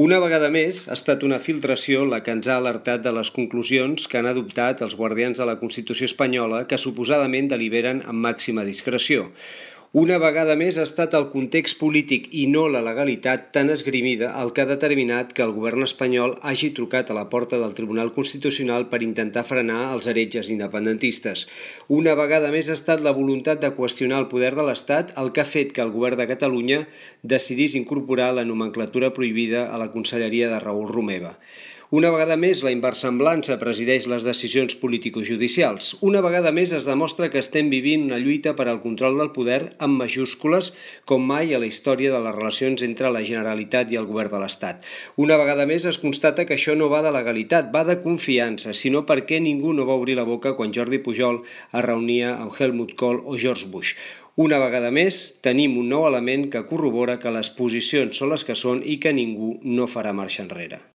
Una vegada més, ha estat una filtració la que ens ha alertat de les conclusions que han adoptat els guardians de la Constitució espanyola que suposadament deliberen amb màxima discreció. Una vegada més ha estat el context polític i no la legalitat tan esgrimida el que ha determinat que el govern espanyol hagi trucat a la porta del Tribunal Constitucional per intentar frenar els heretges independentistes. Una vegada més ha estat la voluntat de qüestionar el poder de l'Estat el que ha fet que el govern de Catalunya decidís incorporar la nomenclatura prohibida a la Conselleria de Raül Romeva. Una vegada més, la inversemblança presideix les decisions político-judicials. Una vegada més es demostra que estem vivint una lluita per al control del poder amb majúscules com mai a la història de les relacions entre la Generalitat i el govern de l'Estat. Una vegada més es constata que això no va de legalitat, va de confiança, sinó perquè ningú no va obrir la boca quan Jordi Pujol es reunia amb Helmut Kohl o George Bush. Una vegada més, tenim un nou element que corrobora que les posicions són les que són i que ningú no farà marxa enrere.